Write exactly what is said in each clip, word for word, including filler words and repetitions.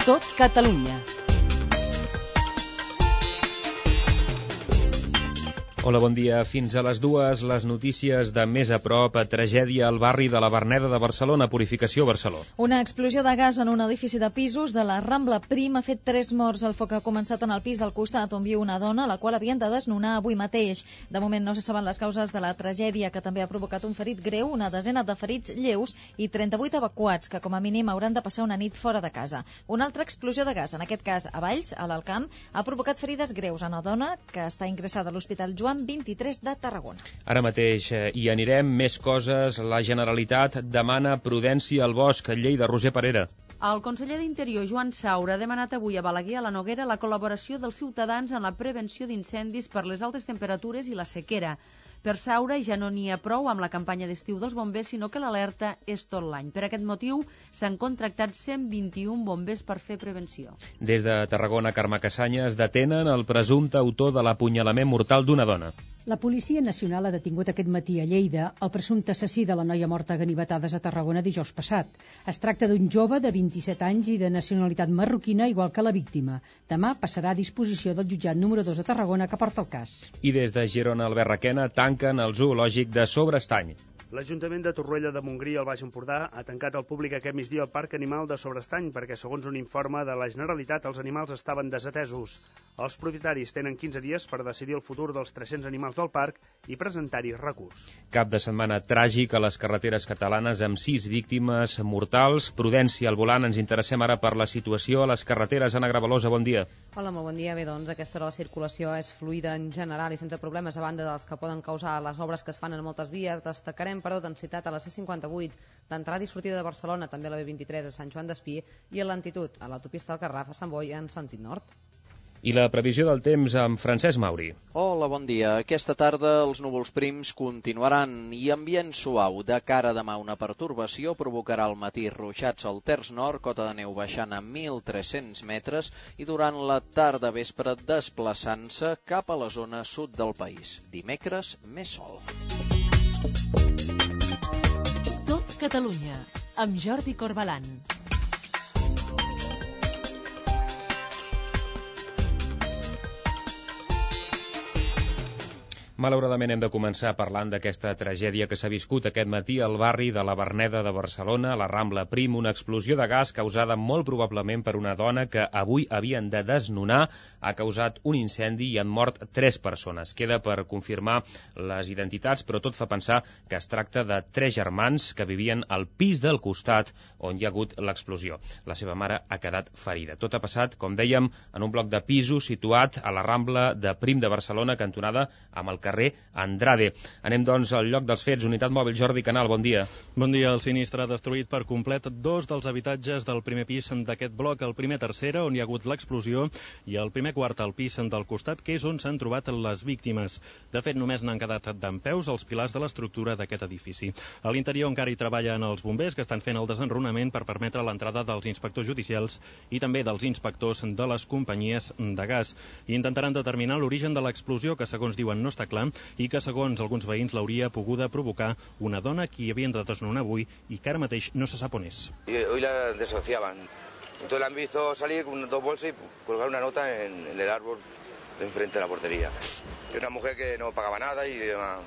Tot Catalunya. Hola, bon dia. Fins a les dues, les notícies de Més a prop. Tragèdia al barri de la Verneda de Barcelona, Purificació, Barcelona. Una explosió de gas en un edifici de pisos de la Rambla Prim ha fet tres morts. El foc ha començat en el pis del costat, on viu una dona, la qual havien de desnonar avui mateix. De moment no se saben les causes de la tragèdia, que també ha provocat un ferit greu, una desena de ferits lleus i trenta-vuit evacuats, que com a mínim hauran de passar una nit fora de casa. Una altra explosió de gas, en aquest cas a Valls, a l'Alcamp, ha provocat ferides greus a una dona que està ingressada a l'Hospital Joan vint-i-tres de Tarragona. Ara mateix eh, hi anirem. Més coses. La Generalitat demana prudència al bosc. Lleida, Roger Parera. El conseller d'Interior, Joan Saura, ha demanat avui a Balaguer, a la Noguera, la col·laboració dels ciutadans en la prevenció d'incendis per les altes temperatures i la sequera. Per Saura ja no n'hi ha prou amb la campanya d'estiu dels bombers, sinó que l'alerta és tot l'any. Per aquest motiu s'han contractat cent vint-i-un bombers per fer prevenció. Des de Tarragona, Carme Cassanyes, detenen el presumpte autor de l'apunyalament mortal d'una dona. La Policia Nacional ha detingut aquest matí a Lleida el presumpte assassí de la noia morta a ganivetades a Tarragona dijous passat. Es tracta d'un jove de vint-i-set anys i de nacionalitat marroquina, igual que la víctima. Demà passarà a disposició del jutjat número dos de Tarragona, que porta el cas. I des de Girona, Albert Requena, tanquen el zoològic de Sobrestany. L'Ajuntament de Torroella de Montgrí, al Baix Empordà, ha tancat al públic aquest migdia el Parc Animal de Sobrestany perquè, segons un informe de la Generalitat, els animals estaven desatesos. Els propietaris tenen quinze dies per decidir el futur dels tres-cents animals del parc i presentar-hi recurs. Cap de setmana tràgic a les carreteres catalanes amb sis víctimes mortals. Prudència al volant. Ens interessem ara per la situació a les carreteres. Anna Gravalosa, bon dia. Hola, molt bon dia. Bé, doncs aquesta hora la circulació és fluida en general i sense problemes, a banda dels que poden causar les obres que es fan en moltes vies. Destacarem, però, densitat a la C cinquanta-vuit, d'entrada i sortida de Barcelona, també a la B vint-i-tres a Sant Joan d'Espí i a l'Antitud, a l'autopista del Garraf a Sant Boi en sentit nord. I la previsió del temps amb Francesc Mauri. Hola, bon dia. Aquesta tarda els núvols prims continuaran i ambient suau. De cara a demà una pertorbació provocarà al matí ruixats al terç nord, cota de neu baixant a mil tres-cents metres i durant la tarda vespre desplaçant-se cap a la zona sud del país. Dimecres, més sol. Tot Catalunya, amb Jordi Corbalan. Malauradament hem de començar parlant d'aquesta tragèdia que s'ha viscut aquest matí al barri de la Verneda de Barcelona, a la Rambla Prim, una explosió de gas causada molt probablement per una dona que avui havien de desnonar, ha causat un incendi i han mort tres persones. Queda per confirmar les identitats, però tot fa pensar que es tracta de tres germans que vivien al pis del costat on hi ha hagut l'explosió. La seva mare ha quedat ferida. Tot ha passat, com dèiem, en un bloc de pisos situat a la Rambla de Prim de Barcelona, cantonada amb el carrer Andrade. Anem, doncs, al lloc dels fets. Unitat mòbil, Jordi Canal, bon dia. Bon dia. El sinistre ha destruït per complet dos dels habitatges del primer pis d'aquest bloc, el primer tercera, on hi ha hagut l'explosió, i el primer quart al pis del costat, que és on s'han trobat les víctimes. De fet, només n'han quedat dempeus els pilars de l'estructura d'aquest edifici. A l'interior encara hi treballen els bombers, que estan fent el desenrunament per permetre l'entrada dels inspectors judicials i també dels inspectors de les companyies de gas. I intentaran determinar l'origen de l'explosió, que segons diuen no està clar, i que segons alguns veïns l'hauria poguda provocar una dona que havien de desnonar avui i que ara mateix no se sap on és. Hoy la desahuciaban. Entonces la han visto salir con dos bolsas y colgar una nota en, en el árbol de enfrente de la portería. Y una mujer que no pagaba nada y uh,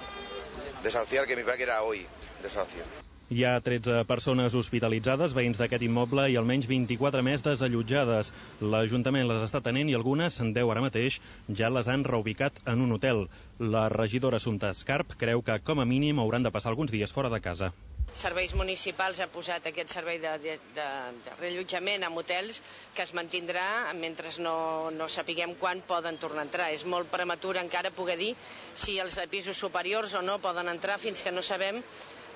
desahuciar, que mi padre que era hoy, desahucio. Hi ha tretze persones hospitalitzades, veïns d'aquest immoble, i almenys vint-i-quatre més desallotjades. L'Ajuntament les està tenent i algunes, deu ara mateix, ja les han reubicat en un hotel. La regidora Assumpta Escarp creu que, com a mínim, hauran de passar alguns dies fora de casa. Serveis Municipals ha posat aquest servei de, de, de, de reallotjament en hotels que es mantindrà mentre no, no sapiguem quan poden tornar a entrar. És molt prematur encara poder dir si els pisos superiors o no poden entrar fins que no sabem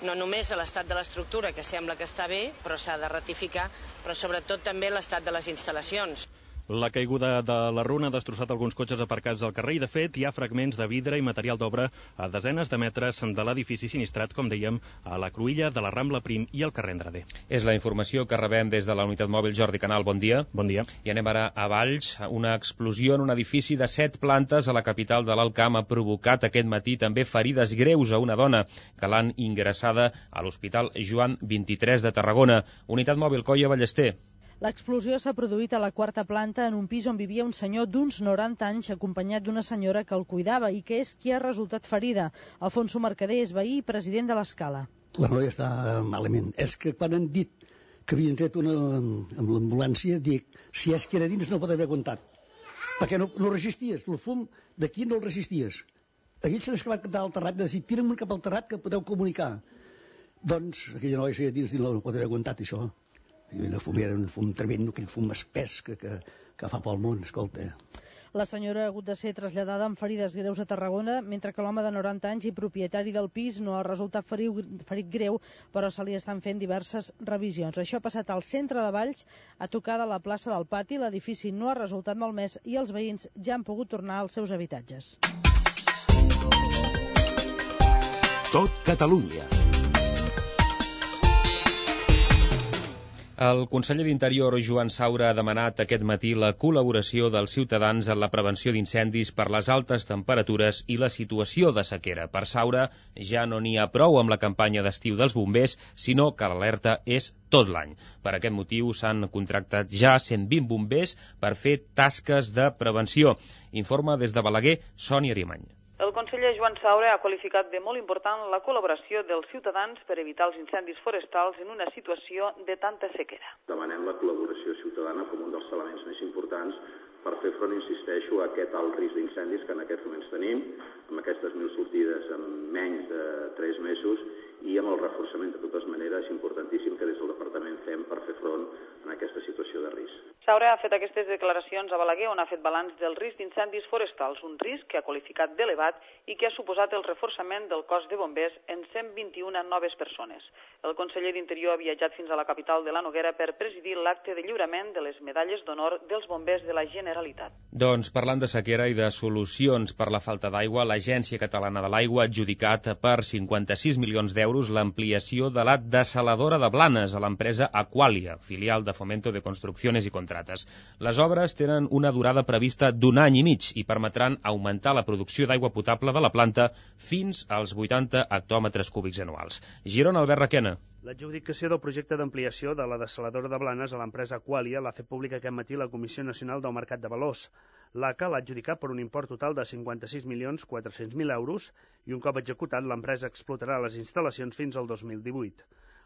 no només l'estat de l'estructura, que sembla que està bé, però s'ha de ratificar, però sobretot també l'estat de les instal·lacions. La caiguda de la runa ha destrossat alguns cotxes aparcats al carrer i, de fet, hi ha fragments de vidre i material d'obra a desenes de metres de l'edifici sinistrat, com dèiem, a la cruïlla de la Rambla Prim i al carrer Andrade. És la informació que rebem des de la unitat mòbil. Jordi Canal, bon dia. Bon dia. I anem ara a Valls. Una explosió en un edifici de set plantes a la capital de l'Alcamp ha provocat aquest matí també ferides greus a una dona que l'han ingressada a l'Hospital Joan vint-i-tres de Tarragona. Unitat mòbil, Coia Ballester. L'explosió s'ha produït a la quarta planta en un pis on vivia un senyor d'uns noranta anys acompanyat d'una senyora que el cuidava i que és qui ha resultat ferida. Alfonso Mercader és veí i president de l'Escala. La noia està malament. És que quan han dit que havien tret una amb l'ambulància, dic, si és que era dins no pot haver aguantat. Perquè no, no resisties. El fum d'aquí no el resisties. Aquell s'ha escapat cap al terrat, de dir, tira'm cap al terrat que podeu comunicar. Doncs aquella noia si dins no pot haver aguantat això. El fum era un fum tremendo, aquell fum espès que, que, que fa pel món, escolta. La senyora ha hagut de ser traslladada amb ferides greus a Tarragona, mentre que l'home de noranta anys i propietari del pis no ha resultat ferit, ferit greu, però se li estan fent diverses revisions. Això ha passat al centre de Valls, a tocar de la plaça del Pati. L'edifici no ha resultat malmès i els veïns ja han pogut tornar als seus habitatges. Tot Catalunya. El conseller d'Interior, Joan Saura, ha demanat aquest matí la col·laboració dels ciutadans en la prevenció d'incendis per les altes temperatures i la situació de sequera. Per Saura, ja no n'hi ha prou amb la campanya d'estiu dels bombers, sinó que l'alerta és tot l'any. Per aquest motiu s'han contractat ja cent vint bombers per fer tasques de prevenció. Informa des de Balaguer, Sònia Arimany. El conseller Joan Saura ha qualificat de molt important la col·laboració dels ciutadans per evitar els incendis forestals en una situació de tanta sequera. Demanem la col·laboració ciutadana com un dels elements més importants per fer front, insisteixo, a aquest alt risc d'incendis que en aquests moments tenim, amb aquestes mil sortides en menys de tres mesos i amb el reforçament de totes maneres importantíssim que des del departament fem per fer front a aquesta situació de risc. Saura ha fet aquestes declaracions a Balaguer, on ha fet balanç del risc d'incendis forestals, un risc que ha qualificat d'elevat i que ha suposat el reforçament del cos de bombers en cent vint-i-una noves persones. El conseller d'Interior ha viatjat fins a la capital de la Noguera per presidir l'acte de lliurament de les medalles d'honor dels bombers de la Generalitat. Doncs parlant de sequera i de solucions per la falta d'aigua, l'Agència Catalana de l'Aigua ha adjudicat per cinquanta-sis milions d'euros l'ampliació de la dessaladora de Blanes a l'empresa Aqualia, filial de Fomento de Construcciones i Contrates. Les obres tenen una durada prevista d'un any i mig i permetran augmentar la producció d'aigua potable de la planta fins als vuitanta hectòmetres cúbics anuals. Girona, Albert Requena. L'adjudicació del projecte d'ampliació de la dessaladora de Blanes a l'empresa Aqualia l'ha fet pública aquest matí la Comissió Nacional del Mercat de Valors. L'A C A l'ha adjudicat per un import total de cinquanta-sis milions quatre-cents mil euros i un cop executat l'empresa explotarà les instal·lacions fins al dos mil divuit.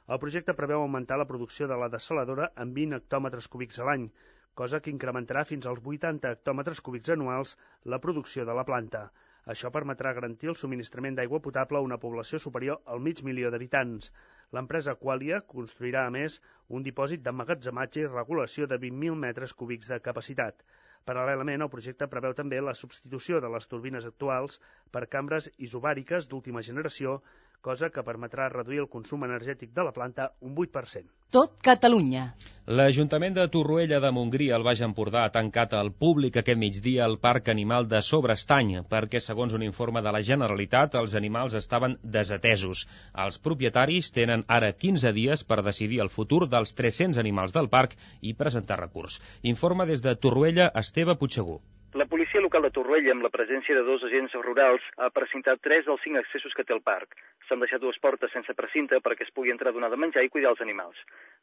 El projecte preveu augmentar la producció de la dessaladora en vint hectòmetres cúbics a l'any, cosa que incrementarà fins als vuitanta hectòmetres cúbics anuals la producció de la planta. Això permetrà garantir el subministrament d'aigua potable a una població superior al mig milió d'habitants. L'empresa Aqualia construirà, a més, un dipòsit d'emmagatzematge i regulació de vint mil metres cúbics de capacitat. Paral·lelament, el projecte preveu també la substitució de les turbines actuals per cambres isobàriques d'última generació, cosa que permetrà reduir el consum energètic de la planta un vuit per cent. Tot Catalunya. L'Ajuntament de Torroella de Montgrí, al Baix Empordà, ha tancat al públic aquest migdia el Parc Animal de Sobrestany, perquè, segons un informe de la Generalitat, els animals estaven desatesos. Els propietaris tenen ara quinze dies per decidir el futur dels tres-cents animals del parc i presentar recurs. Informa des de Torroella, Esteve Puigsegur. La policia local de Torroella, amb la presència de dos agents rurals, ha precintat tres dels cinc accessos que té el parc. S'han deixat dues portes sense precinte perquè es pugui entrar a donar de menjar i cuidar els animals.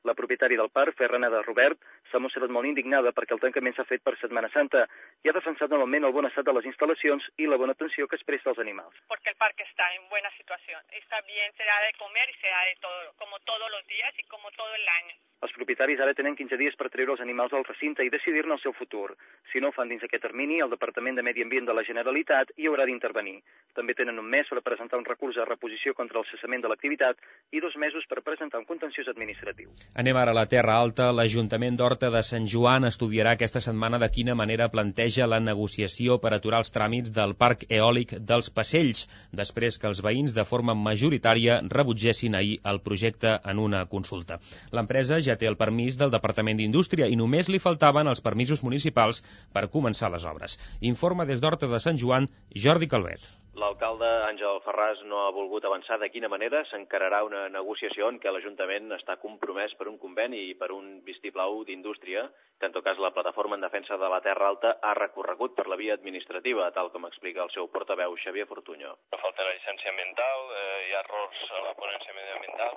La propietària del parc, Ferran de Robert, s'ha mostrat molt indignada perquè el tancament s'ha fet per Setmana Santa i ha defensat novament el bon estat de les instal·lacions i la bona atenció que es presta als animals. Porque el parque está en buena situación. Está bien, se da de comer y se da de todo, como todos los días y como todo el año. Els propietaris ara tenen quinze dies per treure els animals del recinte i decidir-ne el seu futur. Si no ho fan dins aquest termini, el Departament de Medi Ambient de la Generalitat hi haurà d'intervenir. També tenen un mes per presentar un recurs de reposició contra el cessament de l'activitat i dos mesos per presentar un contenciós administratiu. Anem ara a la Terra Alta. L'Ajuntament d'Horta de Sant Joan estudiarà aquesta setmana de quina manera planteja la negociació per aturar els tràmits del parc eòlic dels Passells, després que els veïns de forma majoritària rebutgessin ahir el projecte en una consulta. L'empresa ja té el permís del Departament d'Indústria i només li faltaven els permisos municipals per començar les obres. Informa des d'Horta de Sant Joan, Jordi Calvet. L'alcalde Àngel Ferràs no ha volgut avançar de quina manera s'encararà una negociació en què l'Ajuntament està compromès per un conveni i per un vistiplau d'indústria, que en tot cas la Plataforma en Defensa de la Terra Alta ha recorregut per la via administrativa, tal com explica el seu portaveu Xavier Fortuño. Falta la llicència ambiental, eh, hi ha errors a la ponència mediambiental,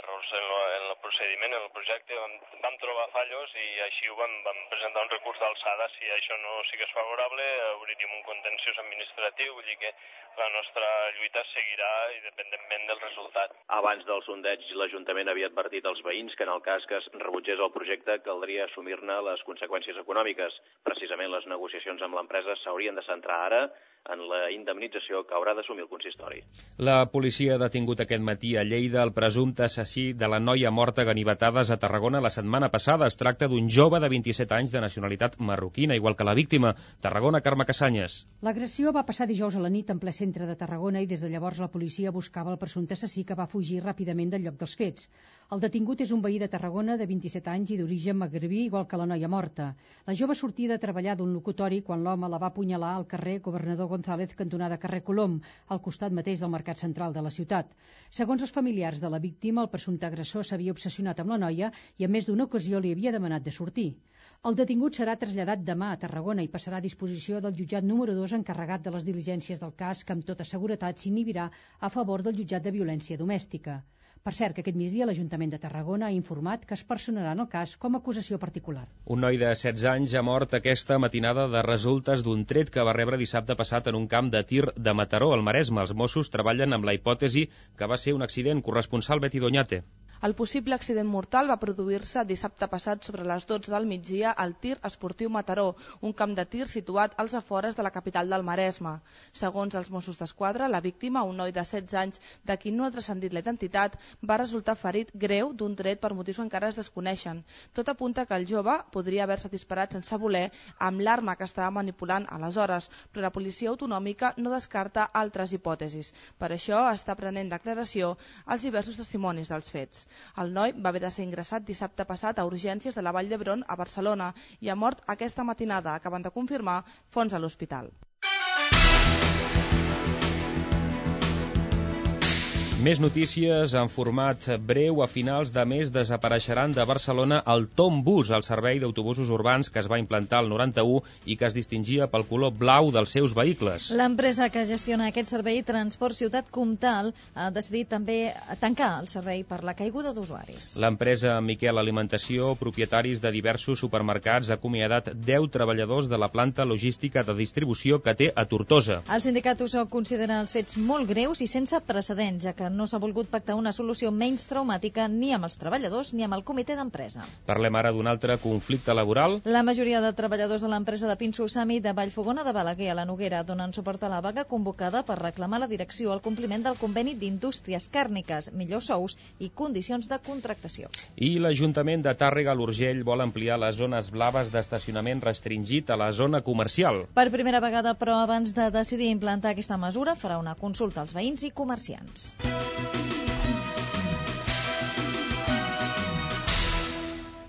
errors en, lo, en el procediment, en el projecte, vam, vam trobar fallos i així ho vam, vam presentar un recurs d'alçada. Si això no sigués favorable, obrirem un contenciós administratiu, vull dir que la nostra lluita seguirà independentment del resultat. Abans del sondeig, l'Ajuntament havia advertit als veïns que en el cas que es rebutgés el projecte caldria assumir-ne les conseqüències econòmiques. Precisament les negociacions amb l'empresa s'haurien de centrar ara en la indemnització que haurà d'assumir el consistori. La policia ha detingut aquest matí a Lleida el presumpte assassí de la noia morta a ganivetades a Tarragona la setmana passada. Es tracta d'un jove de vint-i-set anys de nacionalitat marroquina, igual que la víctima. Tarragona, Carme Cassanyes. L'agressió va passar dijous a la nit en ple centre de Tarragona i des de llavors la policia buscava el presumpte assassí, que va fugir ràpidament del lloc dels fets. El detingut és un veí de Tarragona de vint-i-set anys i d'origen magrebí, igual que la noia morta. La jove sortia de treballar d'un locutori quan l'home la va apunyalar al carrer Governador González, cantonada carrer Colom, al costat mateix del mercat central de la ciutat. Segons els familiars de la víctima, el presumpte agressor s'havia obsessionat amb la noia i en més d'una ocasió li havia demanat de sortir. El detingut serà traslladat demà a Tarragona i passarà a disposició del jutjat número dos encarregat de les diligències del cas, que amb tota seguretat s'inhibirà a favor del jutjat de violència domèstica. Per cert, que aquest migdia l'Ajuntament de Tarragona ha informat que es personarà en el cas com a acusació particular. Un noi de setze anys ha mort aquesta matinada de resultes d'un tret que va rebre dissabte passat en un camp de tir de Mataró, al Maresme. Els Mossos treballen amb la hipòtesi que va ser un accident. Corresponsal Betty Doñate. El possible accident mortal va produir-se dissabte passat sobre les dotze del migdia al Tir Esportiu Mataró, un camp de tir situat als afores de la capital del Maresme. Segons els Mossos d'Esquadra, la víctima, un noi de setze anys de qui no ha transcendit la identitat, va resultar ferit greu d'un tret per motius que encara es desconeixen. Tot apunta que el jove podria haver-se disparat sense voler amb l'arma que estava manipulant aleshores, però la policia autonòmica no descarta altres hipòtesis. Per això està prenent declaració als diversos testimonis dels fets. El noi va haver de ser ingressat dissabte passat a urgències de la Vall d'Hebron a Barcelona i ha mort aquesta matinada, acaben de confirmar fonts a l'hospital. Més notícies en format breu. A finals de mes desapareixeran de Barcelona el Tom Bus, el servei d'autobusos urbans que es va implantar al noranta-u i que es distingia pel color blau dels seus vehicles. L'empresa que gestiona aquest servei, Transport Ciutat Comtal, ha decidit també tancar el servei per la caiguda d'usuaris. L'empresa Miquel Alimentació, propietaris de diversos supermercats, ha acomiadat deu treballadors de la planta logística de distribució que té a Tortosa. El sindicat U S O considera els fets molt greus i sense precedents, ja que no s'ha volgut pactar una solució menys traumàtica ni amb els treballadors ni amb el comitè d'empresa. Parlem ara d'un altre conflicte laboral. La majoria de treballadors de l'empresa de Pinso Sami de Vallfogona de Balaguer a la Noguera donen suport a la vaga convocada per reclamar a la direcció el compliment del conveni d'indústries càrniques, millors sous i condicions de contractació. I l'Ajuntament de Tàrrega a l'Urgell vol ampliar les zones blaves d'estacionament restringit a la zona comercial. Per primera vegada, però, abans de decidir implantar aquesta mesura, farà una consulta als veïns i comerciants.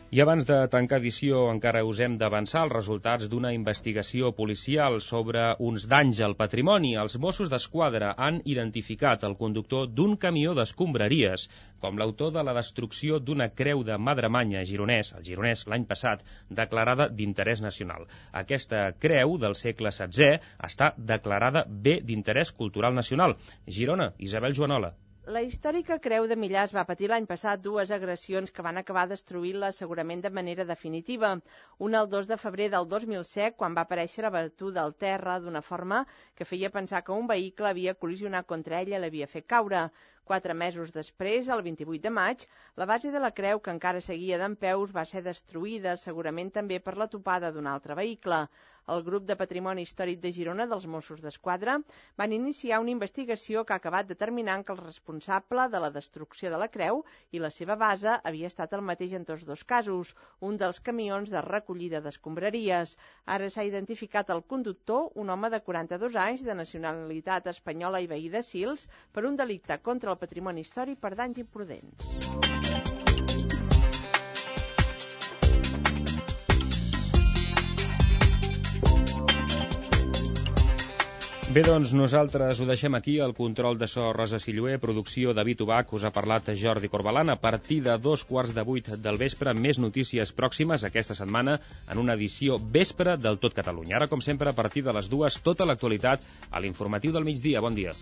I abans de tancar edició encara us hem d'avançar els resultats d'una investigació policial sobre uns danys al patrimoni. Els Mossos d'Esquadra han identificat el conductor d'un camió d'escombraries com l'autor de la destrucció d'una creu de Madremanya gironès, el gironès l'any passat, declarada d'interès nacional. Aquesta creu del segle setzè està declarada bé d'interès cultural nacional. Girona, Isabel Joanola. La històrica Creu de Millars va patir l'any passat dues agressions que van acabar destruint-la segurament de manera definitiva. Una el dos de febrer del dos mil set, quan va aparèixer abatuda al terra d'una forma que feia pensar que un vehicle havia col·lisionat contra ella i l'havia fet caure. Quatre mesos després, el vint-i-vuit de maig, la base de la creu, que encara seguia dempeus, va ser destruïda, segurament també per la topada d'un altre vehicle. El grup de Patrimoni Històric de Girona dels Mossos d'Esquadra van iniciar una investigació que ha acabat determinant que el responsable de la destrucció de la creu i la seva base havia estat el mateix en tots dos casos, un dels camions de recollida d'escombraries. Ara s'ha identificat el conductor, un home de quaranta-dos anys, de nacionalitat espanyola i veí de Sils, per un delicte contra el patrimoni històric per danys imprudents. Bé, doncs nosaltres ho deixem aquí. El control de so Rosa Silluer, producció David Ubach, us ha parlat Jordi Corbalan. A partir de dos quarts de vuit del vespre, més notícies pròximes aquesta setmana en una edició vespre del Tot Catalunya. Ara, com sempre, a partir de les dues, tota l'actualitat a l'informatiu del migdia. Bon dia.